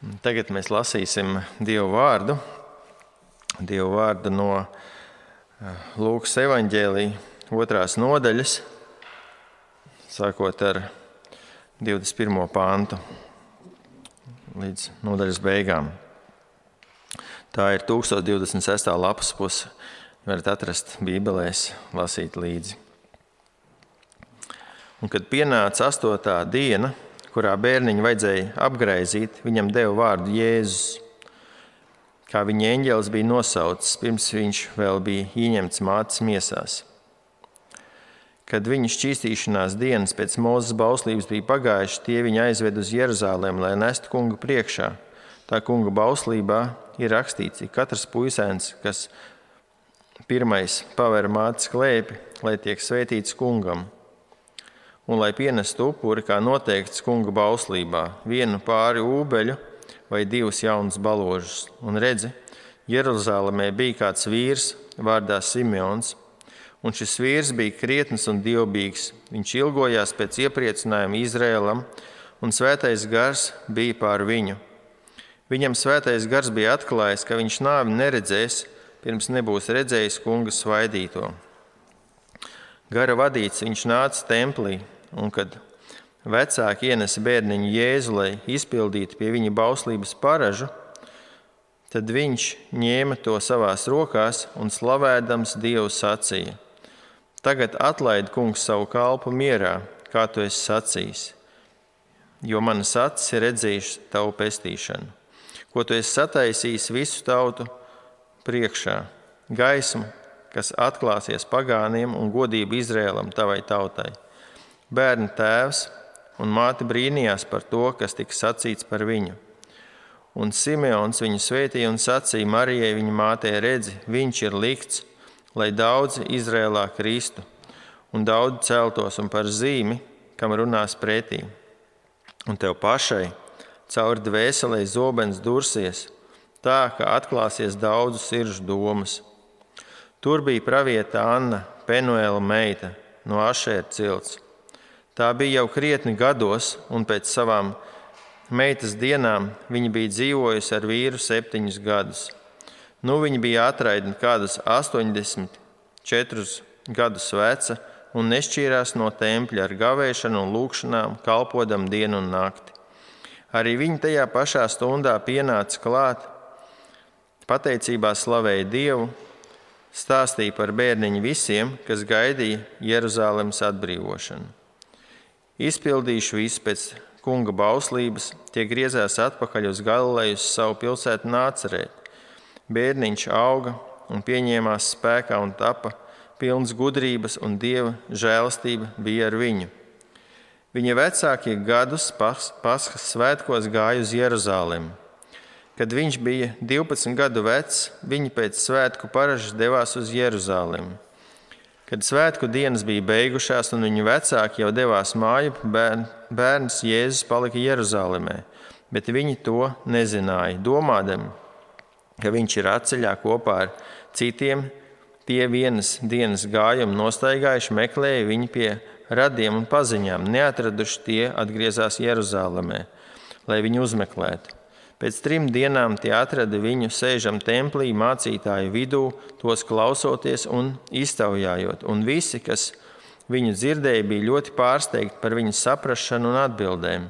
Tagad mēs lasīsim Dievu vārdu no Lūkas evaņģēlija 2. nodaļas, sākot ar 21. pantu līdz nodaļas beigām. Tā ir 1026. lapas puse. Varat atrast bībelēs, lasīt līdzi. Un kad pienāca 8. diena, kurā bērniņu vajadzēja apgraizīt, viņam deva vārdu Jēzus, kā viņa eņģelis bija nosaucis, pirms viņš vēl bija ieņemts mātes miesās. Kad viņa šķīstīšanās dienas pēc Mūzes bauslības bija pagājušas, tie viņu aizved uz Jeruzalemi, lai nestu kungu priekšā. Tā kunga bauslībā ir rakstīts, ka katrs puisēns, kas pirmais paver mātes klēpi, lai tiek svētīts kungam, un lai pienestu upuri, kā noteikts kunga bauslībā, 1 pāri ūbeļu vai 2 jaunus baložus. Un redzi, Jeruzalemē bija kāds vīrs vārdā Simeons, un šis vīrs bija krietns un dievbijīgs. Viņš ilgojās pēc iepriecinājuma Izraēlam, un svētais gars bija pār viņu. Viņam svētais gars bija atklājis, ka viņš nāvi neredzēs, pirms nebūs redzējis kunga svaidīto. Gara vadīts viņš nāca templī, un kad vecāki ienesa bērniņu Jēzu, lai izpildītu pie viņa bauslības paražu, tad viņš ņēma to savās rokās un slavēdams Dievu sacīja: Tagad atlaid kungs savu kalpu mierā, kā tu esi sacījis, jo manas acis ir redzējušas tavu pestīšanu, ko tu esi sataisījis visu tautu priekšā, gaismu, kas atklāsies pagāniem un godību Izraēlam tavai tautai. Bērna tēvs un māte brīnījās par to, kas tika sacīts par viņu. Un Simeons viņu svētīja un sacīja Marijai viņa mātei: redzi, viņš ir likts, lai daudzi Izrēlā kristu, un daudzi celtos un par zīmi, kam runās pretī. Un tev pašai caur dvēselē zobens dursies, tā, ka atklāsies daudzu sirdžu domas. Tur bija pravieta Anna, Penuela meita, no Ašēra cilts. Tā bija jau krietni gados, un pēc savām meitas dienām viņa bija dzīvojusi ar vīru 7 gadus. Nu viņa bija atraidna kādus 84 gadus veca un nešķīrās no tempļa ar gavēšanu un lūgšanām, kalpodam dienu un nakti. Arī viņa tajā pašā stundā pienāca klāt, pateicībā slavēja Dievu, stāstīja par bērniņu visiem, kas gaidīja Jeruzalemes atbrīvošanu. Izpildījuši visu pēc kunga bauslības, tie griezās atpakaļ uz Galileju, uz savu pilsētu Nācereti. Bērniņš auga un pieņēmās spēkā un tapa pilns gudrības, un Dieva žēlastība bija ar viņu. Viņa vecākie gadus Paskas svētkos gāja uz Jeruzalemi. Kad viņš bija 12 gadu vecs, viņi pēc svētku paražas devās uz Jeruzalemi. Kad svētku dienas bija beigušās un viņu vecāki jau devās māju, bērns Jēzus palika Jeruzalemē, bet viņi to nezināja, domādami, ka viņš ir atceļā kopā ar citiem. Tie vienas dienas gājumu nostaigājuši, meklēja viņu pie radiem un paziņām. Neatraduši, tie atgriezās Jeruzalemē, lai viņu uzmeklētu. Pēc 3 dienām tie atrada viņu sēžam templī, mācītāju vidū, tos klausoties un iztaujājot. Un visi, kas viņu dzirdēja, bija ļoti pārsteigti par viņu saprašanu un atbildēm.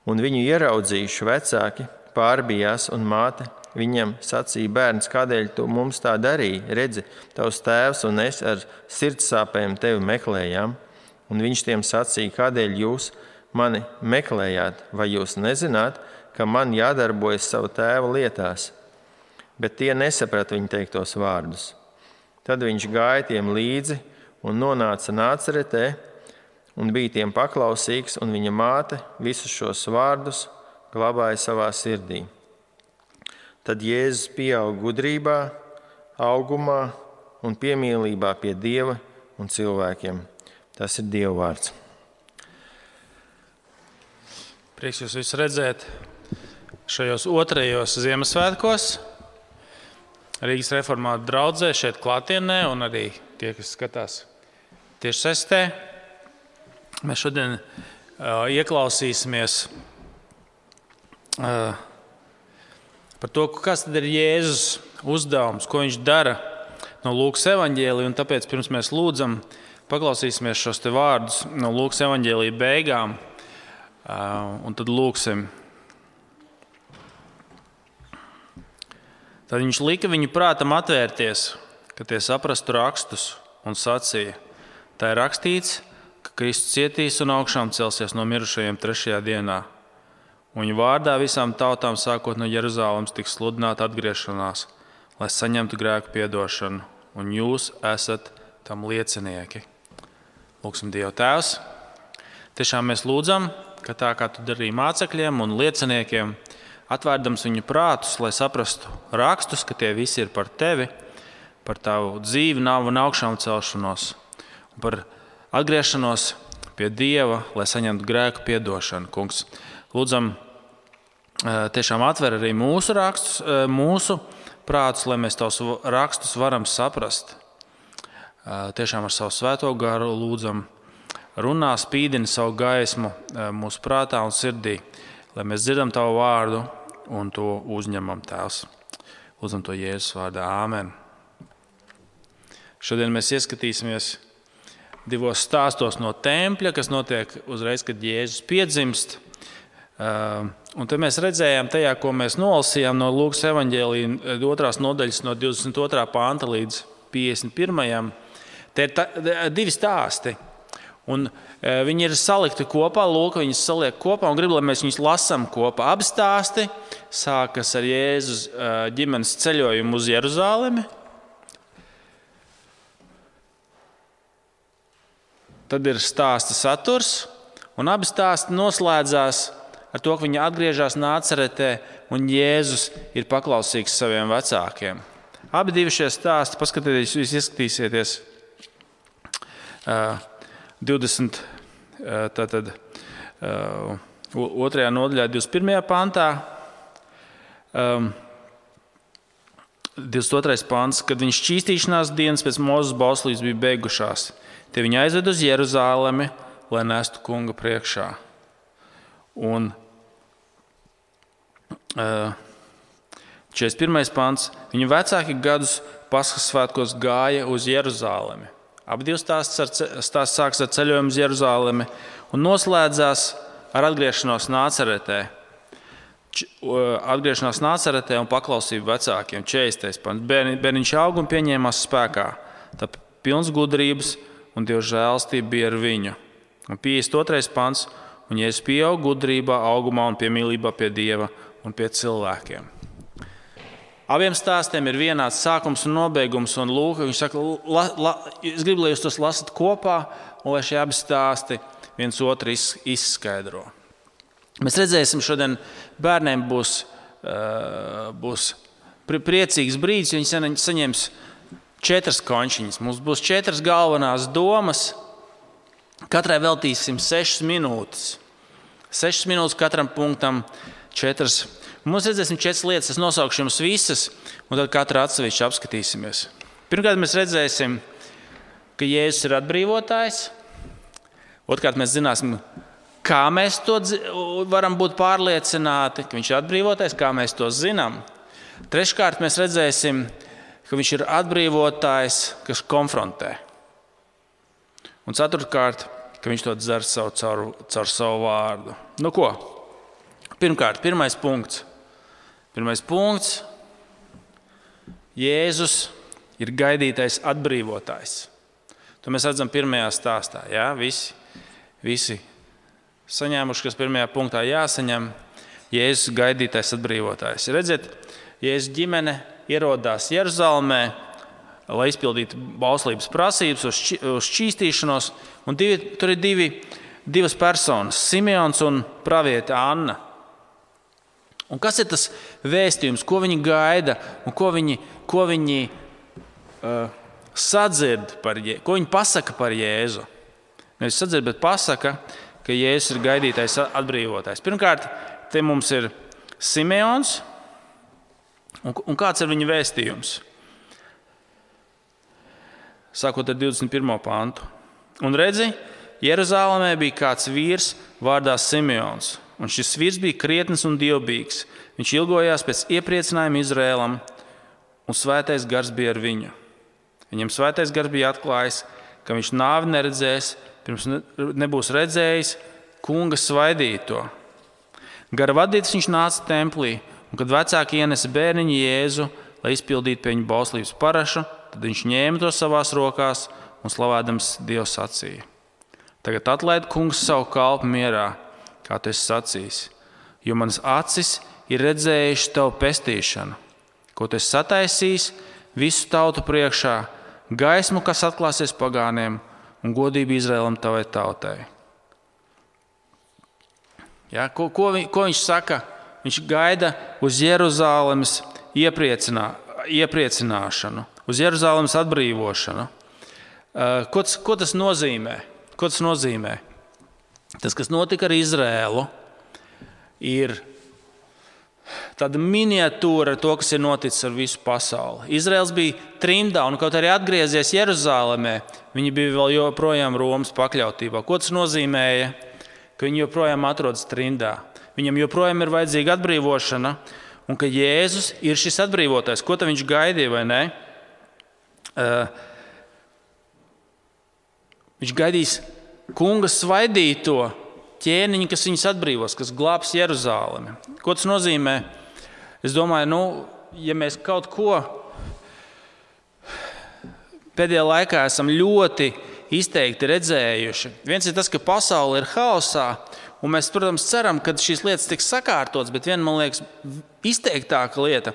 Un viņu ieraudzījuši vecāki pārbijās, un māte viņam sacīja: bērns, kādēļ tu mums tā darīji? Redzi, tavs tēvs un es ar sirdsāpēm tevi meklējām. Un viņš tiem sacīja: kādēļ jūs mani meklējāt? Vai jūs nezināt, ka man jādarbojas savu tēva lietās? Bet tie nesaprata viņa teiktos vārdus. Tad viņš gāja tiem līdzi un nonāca Nāceretē un bija tiem paklausīgs, un viņa māte visus šos vārdus glabāja savā sirdī. Tad Jēzus pieauga gudrībā, augumā un piemīlībā pie Dieva un cilvēkiem. Tas ir Dieva vārds. Prieks jūs visus redzēt šajos 2. Ziemassvētkos. Rīgas reformātu draudzē šeit klātienē un arī tie, kas skatās tiešsaistē. Mēs šodien ieklausīsimies par to, kas tad ir Jēzus uzdevums, ko viņš dara no Lūkas evaņģēlija. Un tāpēc pirms mēs lūdzam, paklausīsimies šos te vārdus no Lūkas evaņģēlija beigām. Un tad lūksim. Tad viņš lika viņu prātam atvērties, ka tie saprastu rakstus un sacīja. Tā ir rakstīts, ka Kristus cietīs un augšām celsies no mirušajiem 3. dienā. Un viņa vārdā visām tautām sākot no Jeruzālemes tiks sludināta atgriešanās, lai saņemtu grēku piedošanu, un jūs esat tam liecinieki. Lūksim Dievu Tēvs. Tiešām mēs lūdzam, ka tā kā tu darīji mācekļiem un lieciniekiem, atvērdams viņu prātus, lai saprastu rakstus, ka tie visi ir par tevi, par tavu dzīvi, nāvi un augšām celšanos, un par atgriešanos pie Dieva, lai saņemtu grēku piedošanu. Kungs, lūdzam, tiešām atver arī mūsu rakstus, mūsu prātus, lai mēs tavus rakstus varam saprast. Tiešām ar savu svēto garu lūdzam, runā, spīdini savu gaismu mūsu prātā un sirdī, lai mēs dzirdam tavu vārdu un to uzņemam, Tēvs. Lūdzam to Jēzus vārdā. Āmen. Šodien mēs ieskatīsimies 2 stāstos no tempļa, kas notiek uzreiz, kad Jēzus piedzimst. Un te mēs redzējām tajā, ko mēs nolasījām no Lūkas evaņģēlija 2. nodaļas no 22. panta līdz 51. Te ir 2 stāsti. Un viņi ir salikti kopā, Lūka viņus saliek kopā un grib, lai mēs viņus lasām kopā. Abi stāsti sākas ar Jēzus ģimenes ceļojumu uz Jeruzālemi. Tad ir stāsta saturs, un abi stāsti noslēdzās ar to, ka viņi atgriežas Nācaretē un Jēzus ir paklausīgs saviem vecākiem. Abi divi šie stāsti, paskatieties, jūs ieskatīsieties 20. Tātad 2. nodaļā 21. pantā. 22. pants, kad viņš šķīstīšanās dienas pēc Mūzes bauslības bija beigušās. Tie viņi aizved uz Jeruzālemi, lai nestu kunga priekšā. Un 41. pants. Viņu vecāki gadus Paskas svētkos gāja uz Jeruzālemi. Abi divi stāsts sākas ar ceļojumu uz Jeruzālemi un noslēdzās ar atgriešanos Nācaretē. Atgriešanās Nācaretē un paklausību vecākiem. 40. pants. Bērniņš auga un pieņēmās spēkā. Tā pilns gudrības un Dieva žēlastība bija ar viņu. Un 52. pants. Un Jēzus pieauga gudrībā, augumā un piemīlībā pie Dieva un pie cilvēkiem. Abiem stāstiem ir vienāds sākums un nobeigums, un Lūka, viņš saka, es gribu, lai jūs tos lasat kopā, un lai šie abi stāsti viens otru izskaidro. Mēs redzēsim, šodien bērniem būs priecīgs brīdis, jo viņi saņems 4 končiņas. Mums būs 4 galvenās domas, katrai veltīsim 6 minūtes. 6 minūtes katram punktam, 4. Mums redzēsim 4 lietas, es nosaukšu jums visas, un tad katru atsevišķi apskatīsimies. Pirmkārt, mēs redzēsim, ka Jēzus ir atbrīvotājs. Otrkārt, mēs zināsim, kā mēs to varam būt pārliecināti, ka viņš ir atbrīvotājs, kā mēs to zinām. Treškārt, mēs redzēsim, ka viņš ir atbrīvotājs, kas konfrontē. Un ceturtkārt, ka viņš to dzer caur savu vārdu. Nu ko? Pirmkārt, pirmais punkts. Jēzus ir gaidītais atbrīvotājs. To mēs redzam pirmajā stāstā. Ja? Visi saņēmuši, kas pirmajā punktā jāsaņem, Jēzus gaidītais atbrīvotājs. Redziet, Jēzus ģimene ierodās Jeruzalemē, lai izpildītu bauslības prasības uz šķīstīšanos. Un tur ir divas personas, Simeons un praviete Anna. Un kas ir tas vēstījums, ko viņi gaida un ko viņi sadzird par Jēzu, ko viņi pasaka par Jēzu? Nevis sadzird, bet pasaka, ka Jēzus ir gaidītais atbrīvotājs. Pirmkārt, te mums ir Simeons, un kāds ir viņa vēstījums? Sākot ar 21. pantu. Un redzi, Jeruzālēmē bija kāds vīrs vārdā Simeons. un šis vīrs bija krietns un dievbijīgs. Viņš ilgojās pēc iepriecinājuma Izrēlam, un svētais gars bija ar viņu. Viņam svētais gars bija atklājis, ka viņš nāvi neredzēs, pirms nebūs redzējis kunga svaidīto. Gara vadīts viņš nāca templī, un kad vecāki ienesa bērniņu Jēzu, lai izpildītu pie viņa bauslības parašu, tad viņš ņēma to savās rokās un slavādams Dievu sacīja: Tagad atlaid kungs savu kalpu mierā, kā tu esi sacījis, jo manas acis ir redzējuši tavu pestīšanu, ko tu esi sataisījis visu tautu priekšā, gaismu, kas atklāsies pagāniem, un godību Izraēlam tavai tautai. Ja, ko viņš saka? Viņš gaida uz Jeruzālemes iepriecināšanu, uz Jeruzālemes atbrīvošanu. Ko tas nozīmē? Tas, kas notika ar Izraēlu, ir tāda miniatūra ar to, kas ir noticis ar visu pasauli. Izraels bija trimdā, un kaut arī atgriezies Jeruzālemē, viņi bija vēl joprojām Romas pakļautībā. Ko tas nozīmēja? Ka viņi joprojām atrodas trimdā. Viņam joprojām ir vajadzīga atbrīvošana, un ka Jēzus ir šis atbrīvotājs. Ko tad viņš gaidīja, vai ne? Viņš gaidīs kunga svaidīto ķēniņu, kas viņus atbrīvos, kas glābs Jeruzālemi. Ko tas nozīmē? Es domāju, ja mēs kaut ko pēdējā laikā esam ļoti izteikti redzējuši. Viens ir tas, ka pasaule ir haosā, un mēs, protams, ceram, ka šīs lietas tiks sakārtotas, bet viena, man liekas, izteiktāka lieta,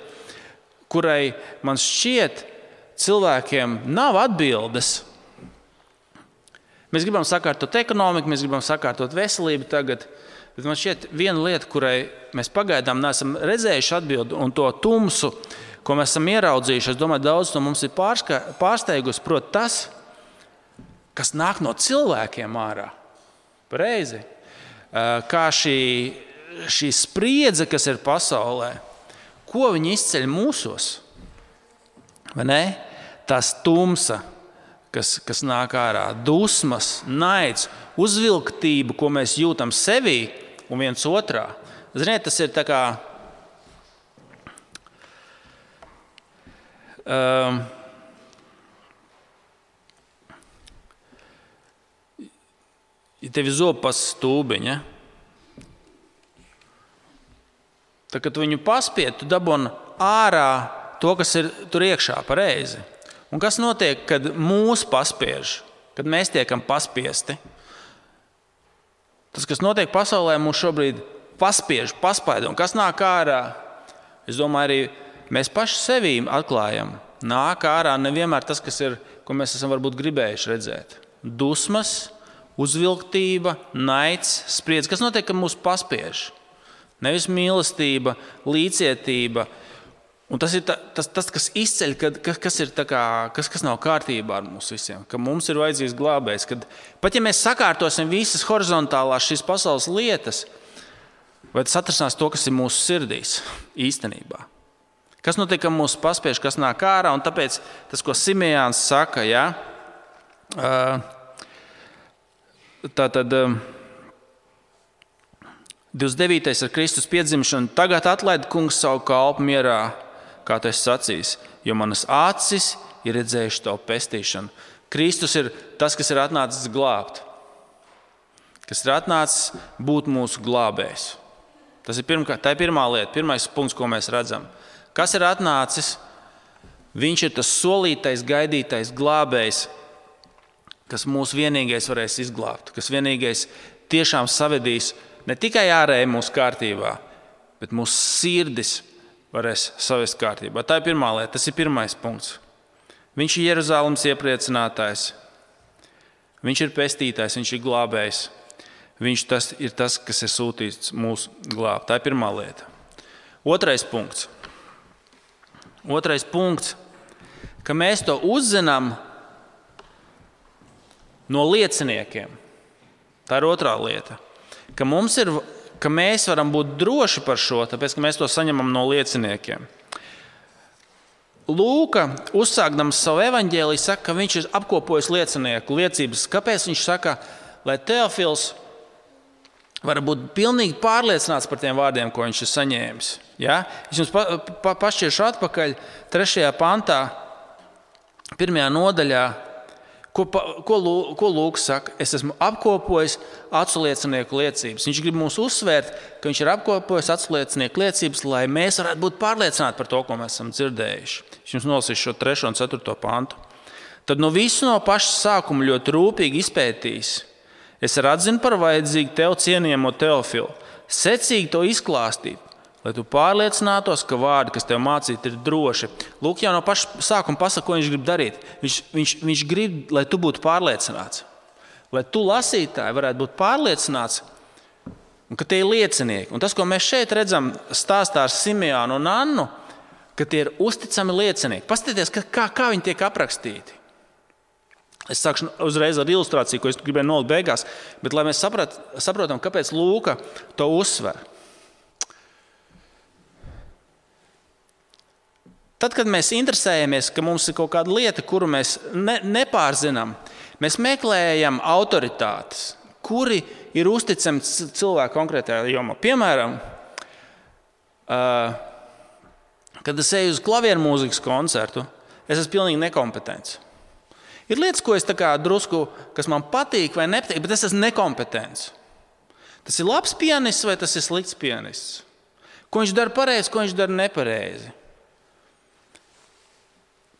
kurai man šķiet cilvēkiem nav atbildes. Mēs gribam sakārtot ekonomiku, mēs gribam sakārtot veselību tagad, bet man šķiet viena lieta, kurai mēs pagaidām neesam redzējuši atbildi, un to tumsu, ko mēs esam ieraudzījuši, es domāju, daudz no mums ir pārsteigusi, proti tas, kas nāk no cilvēkiem ārā. Pareizi. Kā šī spriedze, kas ir pasaulē, ko viņi izceļ mūsos? Vai ne? Tas tumsa, kas nāk ārā, dusmas, naids, uzvilktība, ko mēs jūtam sevī un viens otrā. Ziniet, tas ir tā kā ja tev ir zopas stūbiņa, tad, kad tu viņu paspied, tu dabūni ārā to, kas ir tur iekšā, pareizi. Un kas notiek, kad mūs paspiež, kad mēs tiekam paspiesti? Tas, kas notiek pasaulē, mūs šobrīd paspiež, paspaida. Un kas nāk ārā? Es domāju, arī mēs paši sevī atklājam. Nāk ārā nevienmēr tas, kas ir, ko mēs esam varbūt gribējuši redzēt. Dusmas, uzvilktība, naids, spriedze. Kas notiek, kad mūs paspiež? Nevis mīlestība, līdzcietība. Un tas ir tas, kas izceļ, kas nav kārtībā ar mums visiem. Ka mums ir vajadzīgs glābējs. Kad, pat ja mēs sakārtosim visas horizontālās šīs pasaules lietas, vai tas atrasinās to, kas ir mūsu sirdīs īstenībā? Kas notiek, kad mūs paspiež, kas nāk ārā? Un tāpēc tas, ko Simejāns saka, ja? Tātad 29. ar Kristus piedzimšanu. Tagad atlaid kungs savu kalpu mierā, kā tu esi sacījis, jo manas acis ir redzējuši tavu pestīšanu. Kristus ir tas, kas ir atnācis glābt, kas ir atnācis būt mūsu glābējs. Tā ir pirmā lieta, pirmais punkts, ko mēs redzam. Kas ir atnācis? Viņš ir tas solītais, gaidītais glābējs, kas mūs vienīgais varēs izglābt, kas vienīgais tiešām savedīs ne tikai ārēji mūsu kārtībā, bet mūsu sirdis varēs savest kārtībā. Tā ir pirmā lieta, tas ir pirmais punkts. Viņš ir Jeruzālemes iepriecinātājs, viņš ir pestītājs, viņš ir glābējs. Viņš ir tas, kas ir sūtīts mūsu glābt. Tā ir pirmā lieta. Otrais punkts, ka mēs to uzzinām no lieciniekiem. Tā ir otrā lieta. Ka mēs varam būt droši par šo, tāpēc, ka mēs to saņemam no lieciniekiem. Lūka, uzsākdams savu evaņģēliju, saka, ka viņš ir apkopojis liecinieku liecības. Kāpēc viņš saka, lai Teofils var būt pilnīgi pārliecināts par tiem vārdiem, ko viņš ir saņēmis. Ja? Es jums pašķiršu atpakaļ 3. pantā, 1. nodaļā, ko Lūks saka. Es esmu apkopojis aculiecinieku liecības. Viņš grib mums uzsvērt, ka viņš ir apkopojis aculiecinieku liecības, lai mēs varētu būt pārliecināti par to, ko mēs esam dzirdējuši. Es jums nolasīšu šo 3. un 4. pantu. Tad no visu no paša sākuma ļoti rūpīgi izpētījis. Es atzinu par vajadzīgu tev cienījamo Teofilu, secīgi to izklāstīt, lai tu pārliecinātos, ka vārdi, kas tev mācīti, ir droši. Lūk, jau no paša sākuma pasaka, ko viņš grib darīt. Viņš grib, lai tu būtu pārliecināts. Lai tu, lasītāji, varētu būt pārliecināts, un ka tie ir liecinieki. Un tas, ko mēs šeit redzam stāstā ar Simeonu un Annu, ka tie ir uzticami liecinieki. Paskatieties, kā viņi tiek aprakstīti. Es sākšu uzreiz ar ilustrāciju, ko es gribēju nolikt beigās, bet lai mēs saprotam, kāpēc Lūka to uzsver. Tad, kad mēs interesējamies, ka mums ir kaut kāda lieta, kuru mēs nepārzinām, mēs meklējam autoritātes, kuri ir uzticami cilvēku konkrētajā jomā. Piemēram, kad es eju uz klavieru mūzikas koncertu, es esmu pilnīgi nekompetents. Ir lietas, ko es tā kā drusku, kas man patīk vai nepatīk, bet es esmu nekompetents. Tas ir labs pianists vai tas ir slikts pianists? Ko viņš dara pareizi, ko viņš dara nepareizi?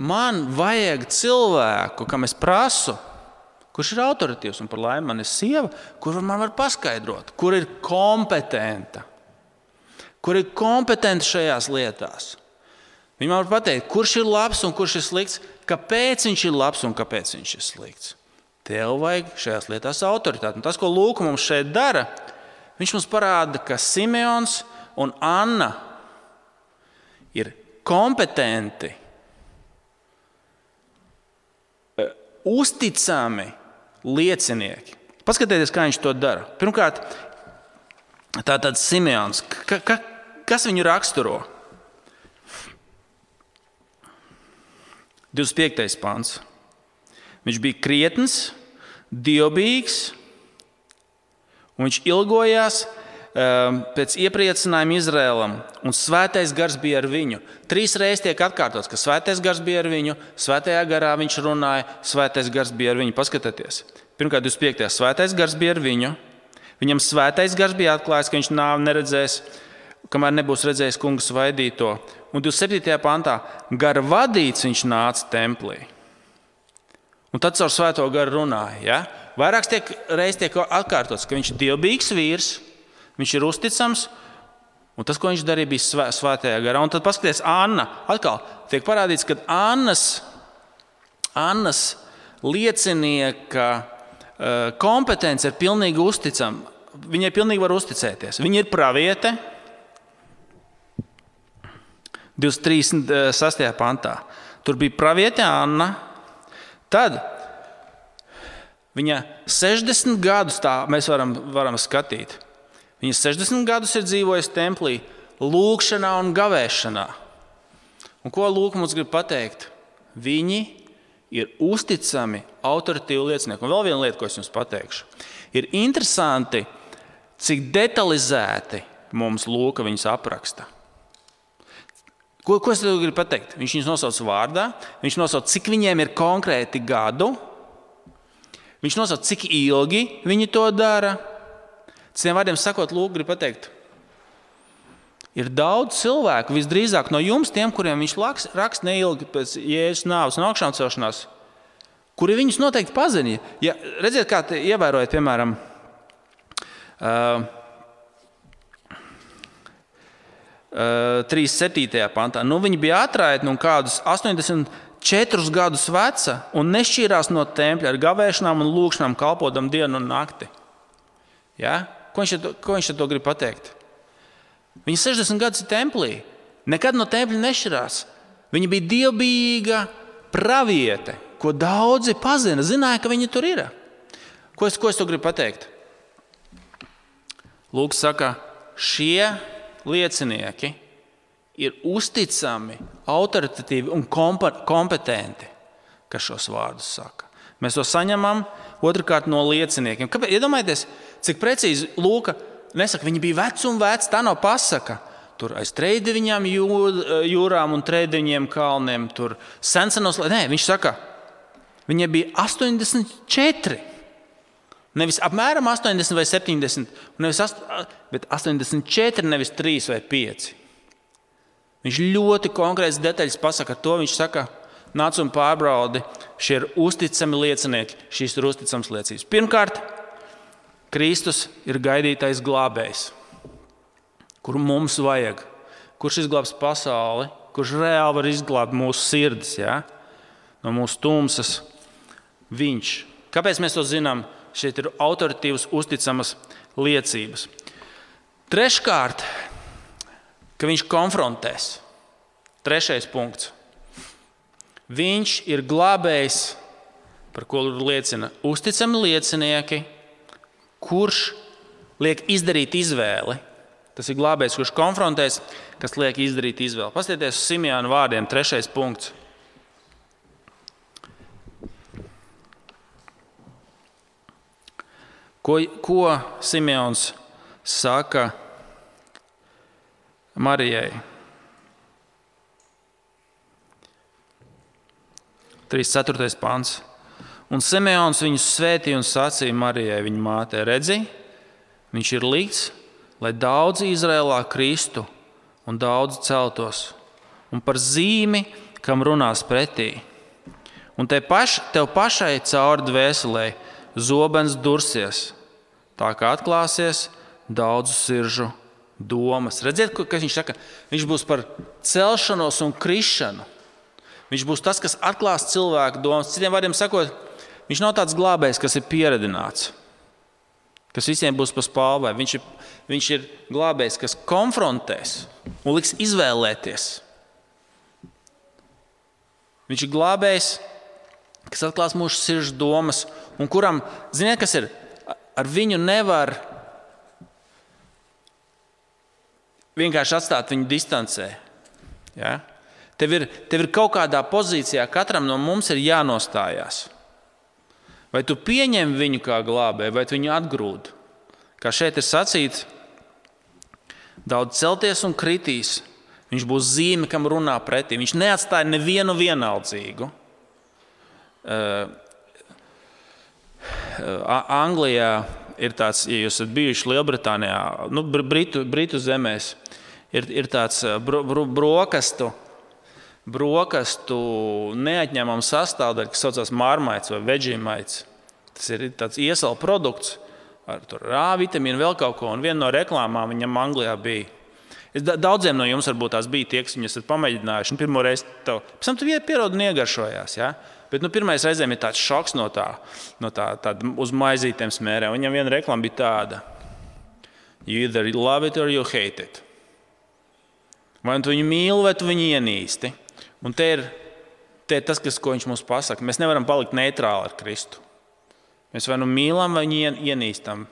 Man vajag cilvēku, kam es prasu, kurš ir autoritīvs, un par laimi man ir sieva, kur man var paskaidrot, kur ir kompetenta. Kur ir kompetenta šajās lietās. Viņi man var pateikt, kurš ir labs un kurš ir slikts, kāpēc viņš ir labs un kāpēc viņš ir slikts. Tev vajag šajās lietās autoritāti. Un tas, ko Lūka mums šeit dara, viņš mums parāda, ka Simeons un Anna ir kompetenti, uzticami liecinieki. Paskatieties, kā viņš to dara. Pirmkārt, tātad Simeons. Kas viņu raksturo? 25. pants. Viņš bija krietns, dievbijīgs, un viņš ilgojās pēc iepriecinājuma Izraēlam, un svētais gars bija ar viņu. 3 reizes tiek atkārtots, ka svētais gars bija ar viņu, svētajā garā viņš runāja, svētais gars bija ar viņu. Paskatieties. Pirmkārt, 25. svētais gars bija ar viņu. Viņam svētais gars bija atklājis, ka viņš nāvi neredzēs, kamēr nebūs redzējis kungu svaidīto. Un 27. pantā gara vadīts viņš nāca templī. Un tad caur svēto garu runāja. Ja? Vairākas reizes tiek atkārtots, ka viņš ir dievbijīgs vīrs, viņš ir uzticams, un tas, ko viņš darīja, bija svētajā garā. Un tad paskaties, Anna, atkal tiek parādīts, ka Annas liecinieka kompetence ir pilnīgi uzticama. Viņai pilnīgi var uzticēties. Viņa ir praviete. 26. pantā. Tur bija praviete Anna. Tad viņa 60 gadus tā mēs varam skatīt. Viņa 60 gadus ir dzīvojusi templī, lūgšanā un gavēšanā. Un ko Lūka mums grib pateikt? Viņi ir uzticami, autoritīvi liecinieki. Un vēl viena lieta, ko es jums pateikšu. Ir interesanti, cik detalizēti mums Lūka viņus apraksta. Ko es tev gribu pateikt? Viņš viņus nosauc vārdā, viņš nosauc, cik viņiem ir konkrēti gadu, viņš nosauc, cik ilgi viņi to dara. Citiem vārdiem sakot, Lūka grib pateikt, ir daudz cilvēku, visdrīzāk no jums, tiem, kuriem viņš raksta neilgi pēc Jēzus nāves un augšām celšanās, kuri viņus noteikti pazina. Ja, redziet, kā ievērojat, piemēram, 37. pantā. Viņi bija atraitni un kādus 84 gadus veca un nešķīrās no tempļa ar gavēšanām un lūgšanām kalpodam dienu un nakti. Ja? Ko viņš to grib pateikt? Viņi 60 gadus ir templī. Nekad no tempļa nešķirās. Viņa bija dievbijīga praviete, ko daudzi pazina, zināja, ka viņa tur ir. Ko es to gribu pateikt? Lūks saka, šie liecinieki ir uzticami, autoritatīvi un kompetenti, kas šos vārdus saka. Mēs to saņemam otrkārt no lieciniekiem. Iedomājieties, cik precīzi Lūka nesaka, viņi bija veci un veci, tā nav pasaka. Tur aiz Treideviņām jūrām un Treideviņiem kalniem, tur sensenos. Nē, viņš saka, viņiem bija 84. Nevis apmēram 80 vai 70, bet 84, nevis 3 vai 5. Viņš ļoti konkrēts detaļas pasaka ar to. Viņš saka, nāc un pārbaudi, šie ir uzticami liecinieki, šīs ir uzticams liecības. Pirmkārt, Kristus ir gaidītais glābējs, kuru mums vajag, kurš izglābs pasauli, kurš reāli var izglābt mūsu sirdis, ja? No mūsu tumsas. Viņš. Kāpēc mēs to zinām? Šeit ir autoritīvas, uzticamas liecības. Treškārt, ka viņš konfrontēs. Trešais punkts. Viņš ir glābējs, par ko liecina uzticami liecinieki, kurš liek izdarīt izvēli. Tas ir glābējs, kurš konfrontēs, kas liek izdarīt izvēli. Paskatieties uz Simeona vārdiem, 3. punkts. Ko Simeons saka Marijai? 34. pants. Un Simeons viņu svētīja un sacīja Marijai, viņa mātei, redzi, viņš ir likts, lai daudzi Izrēlā kristu un daudzi celtos, un par zīmi, kam runās pretī. Un tev pašai cauri dvēselē zobens dursies, tā kā atklāsies daudzu siržu domas. Redziet, kas viņš saka? Viņš būs par celšanos un krišanu. Viņš būs tas, kas atklās cilvēku domas. Citiem vārdiem sakot, viņš nav tāds glābējs, kas ir pieredināts, kas visiem būs pa spalvai. Viņš ir glābējs, kas konfrontēs un liks izvēlēties. Viņš ir glābējs, kas atklās mūsu sirdžu domas, un kuram, ziniet, kas ir, ar viņu nevar vienkārši atstāt viņu distancē. Ja? Tev ir kaut kādā pozīcijā, katram no mums ir jānostājās. Vai tu pieņem viņu kā glābēju, vai tu viņu atgrūd? Kā šeit ir sacīts, daudz celties un kritīs, viņš būs zīme, kam runā pretī. Viņš neatstāja nevienu vienaldzīgu. Anglijā ir tāds, ja jūs esat bijuši Lielbritānijā, Britu zemēs, ir tāds brokastu neatņemama sastāvdaļa, kas saucās marmaits vai veģīmaits. Tas ir tāds iesala produkts ar A vitamīnu, vēl kaut ko, un viena no reklāmām viņam Anglijā bija. Daudziem no jums varbūt tās bija tie, kas viņus ir pamēģinājuši, un pirmo reizi pēc tam tu pierodi un iegaršojās, ja? Bet pirmais reizēm ir tāds šoks no tā uz maizītēm smērē. Viņam viena reklāma bija tāda: You either love it or you hate it. Vai tu viņu mīli, vai tu viņu ienīsti. Un te ir tas, ko viņš mums pasaka. Mēs nevaram palikt neitrāli ar Kristu. Mēs vai nu mīlam, vai viņu ienīstam.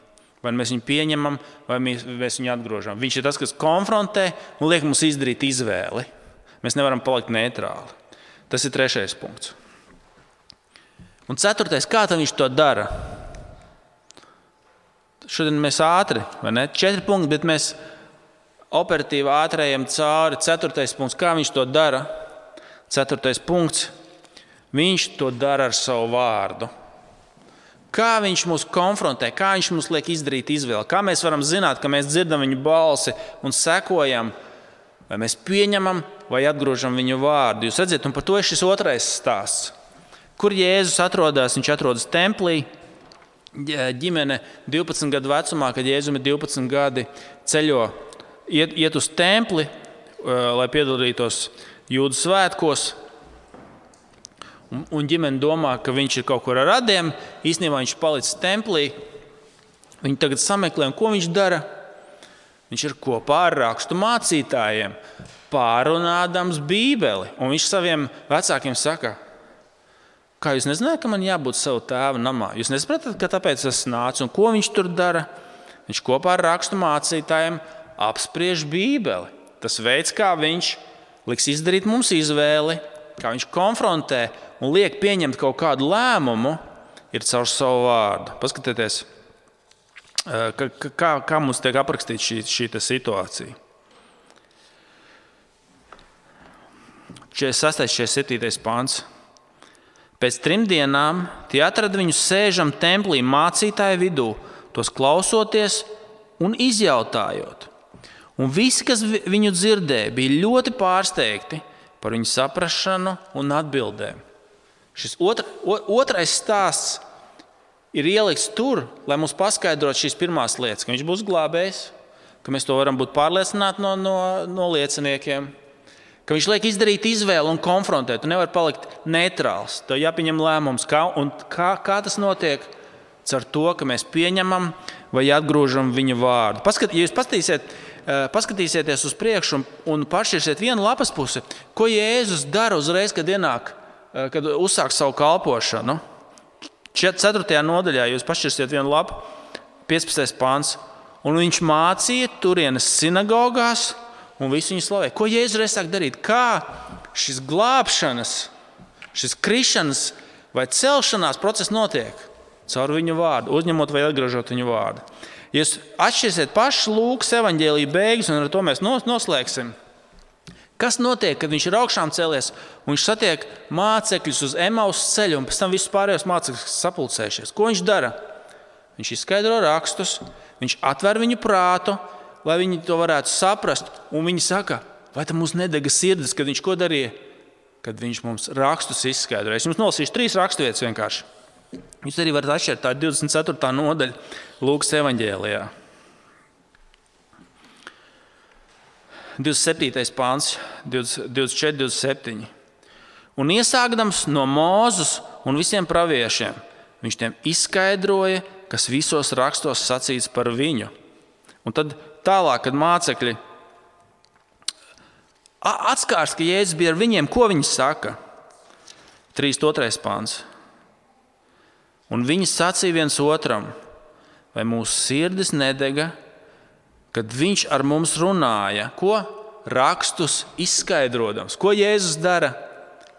Vai mēs viņu pieņemam, vai mēs viņu atgrožam. Viņš ir tas, kas konfrontē un liek mums izdarīt izvēli. Mēs nevaram palikt neitrāli. Tas ir 3. punkts. Un 4. kā viņš to dara? Šodien mēs ātri, vai ne? 4 punkti, bet mēs operatīvi ātrējam cauri. 4. punkts, kā viņš to dara? 4. punkts, viņš to dara ar savu vārdu. Kā viņš mūs konfrontē, kā viņš mums liek izdarīt izvēli, kā mēs varam zināt, ka mēs dzirdam viņu balsi un sekojam, vai mēs pieņemam vai atgrožam viņu vārdu. Jūs redzat, un par to ir šis 2. stāsts. Kur Jēzus atrodas? Viņš atrodas templī. Ģimene 12 gadu vecumā, kad Jēzum ir 12 gadi, ceļo, iet uz templi, lai piedalītos Jūdu svētkos. Un ģimene domā, ka viņš ir kaut kur ar radiem. Īstenībā viņš palicis templī. Viņi tagad sameklē, un ko viņš dara? Viņš ir kopā ar rakstu mācītājiem, pārunādams Bībeli. Un viņš saviem vecākiem saka: Kā jūs nezināt, ka man jābūt savu tēvu namā? Jūs nesapratat, ka tāpēc es nācu? Un ko viņš tur dara? Viņš kopā ar rakstu mācītājiem apspriež Bībeli. Tas veids, kā viņš liks izdarīt mums izvēli, kā viņš konfrontē un liek pieņemt kaut kādu lēmumu, ir caur savu vārdu. Paskatieties, Kā mums tiek aprakstīta šī situācija? 46. 47. pāns. Pēc 3 dienām tie atrada viņu sēžam templī mācītāju vidū, tos klausoties un izjautājot. Un visi, kas viņu dzirdēja, bija ļoti pārsteigti par viņu saprašanu un atbildēm. Šis otrais stāsts ir ielikts tur, lai mums paskaidrotu šīs pirmās lietas, ka viņš būs glābējs, ka mēs to varam būt pārliecināti no lieciniekiem, ka viņš liek izdarīt izvēli un konfrontēt. Tu nevari palikt neitrāls. Tev jāpieņem lēmums. Kā tas notiek? Caur to, ka mēs pieņemam vai atgrūžam viņa vārdu. Ja jūs paskatīsieties uz priekšu un pašķirsiet vienu lapas pusi, ko Jēzus dara uzreiz, kad uzsāk savu kalpošanu. 4. nodaļā jūs pašķirsiet vienu lapu, 15. pāns. Un viņš mācīja turienes sinagogās, un visi viņu slavē. Ko Jēzus reiz sāk darīt? Kā šis glābšanas, šis krišanas vai celšanās process notiek? Caur viņu vārdu, uzņemot vai atgriežot viņu vārdu. Ja jūs atšķirsiet pašu Lūkas evaņģēlija beigas, un ar to mēs noslēgsim. Kas notiek, kad viņš ir augšām cēlies, un viņš satiek mācekļus uz Emaus ceļu, un pēc tam visus pārējos mācekļus sapulcējušies? Ko viņš dara? Viņš izskaidro rakstus, viņš atver viņu prātu, lai viņi to varētu saprast. Un viņi saka, vai tam mums nedega sirdis, kad viņš ko darīja? Kad viņš mums rakstus izskaidroja. Es jums nolasīšu 3 raksturvietas vienkārši. Jūs arī varat atšķirt, tā ir 24. nodaļa Lūkas evaņģēlijā. 27. pāns, 24, 27. Un iesākdams no Mūzes un visiem praviešiem, viņš tiem izskaidroja, kas visos rakstos sacīts par viņu. Un tad tālāk, kad mācekļi atskārs, ka Jēzus bija ar viņiem, ko viņi saka? 3.2. pāns. Un viņi sacīja viens otram, vai mūsu sirdis nedega, kad viņš ar mums runāja. Ko? Rakstus izskaidrodams. Ko Jēzus dara?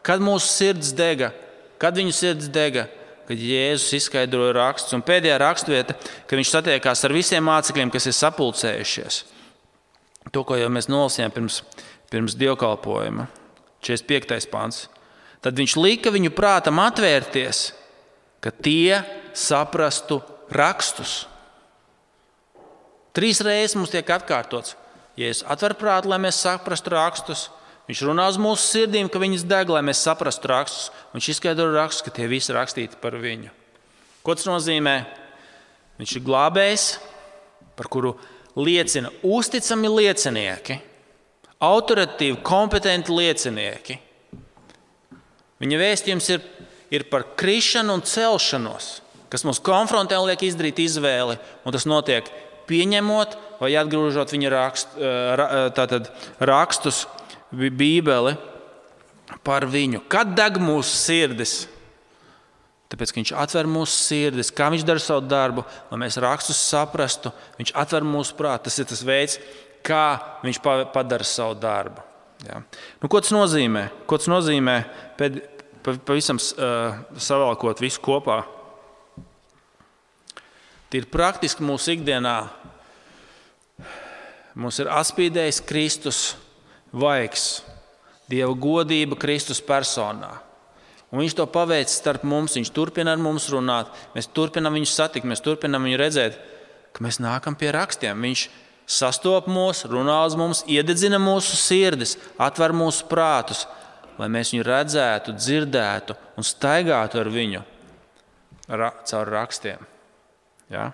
Kad mūsu sirds dega? Kad viņu sirds dega? Kad Jēzus izskaidroja rakstus. Un pēdējā raksturvieta, kad viņš satiekās ar visiem mācekļiem, kas ir sapulcējušies. To, ko jau mēs nolasījām pirms dievkalpojuma. 45. pāns. Tad viņš lika viņu prātam atvērties, ka tie saprastu rakstus. 3 reizes mums tiek atkārtots. Jēzus atver prātu, lai mēs saprastu rakstus. Viņš runā uz mūsu sirdīm, ka viņas deg, lai mēs saprastu rakstus. Viņš izskaidro rakstus, ka tie visi rakstīti par viņu. Ko tas nozīmē? Viņš ir glābējs, par kuru liecina uzticami liecinieki, autoritīvi, kompetenti liecinieki. Viņa vēstījums ir par krišanu un celšanos, kas mums konfrontē un liek izdarīt izvēli, un tas notiek pieņemot vai atgrūžot viņa rakstus, Bībeli par viņu. Kad deg mūsu sirdis? Tāpēc, ka viņš atver mūsu sirdis, kā viņš dara savu darbu, lai mēs rakstus saprastu, viņš atver mūsu prātu. Tas ir tas veids, kā viņš padara savu darbu. Ja. Ko tas nozīmē? Ko tas nozīmē pavisam savalkot visu kopā? Tīri praktiski mūsu ikdienā mums ir atspīdējis Kristus vaigs, Dieva godība Kristus personā. Un viņš to paveic starp mums, viņš turpina ar mums runāt, mēs turpinām viņu satikt, mēs turpinām viņu redzēt, ka mēs nākam pie rakstiem. Viņš sastop mūs, runā uz mums, iededzina mūsu sirdis, atver mūsu prātus, lai mēs viņu redzētu, dzirdētu un staigātu ar viņu caur rakstiem. Ja?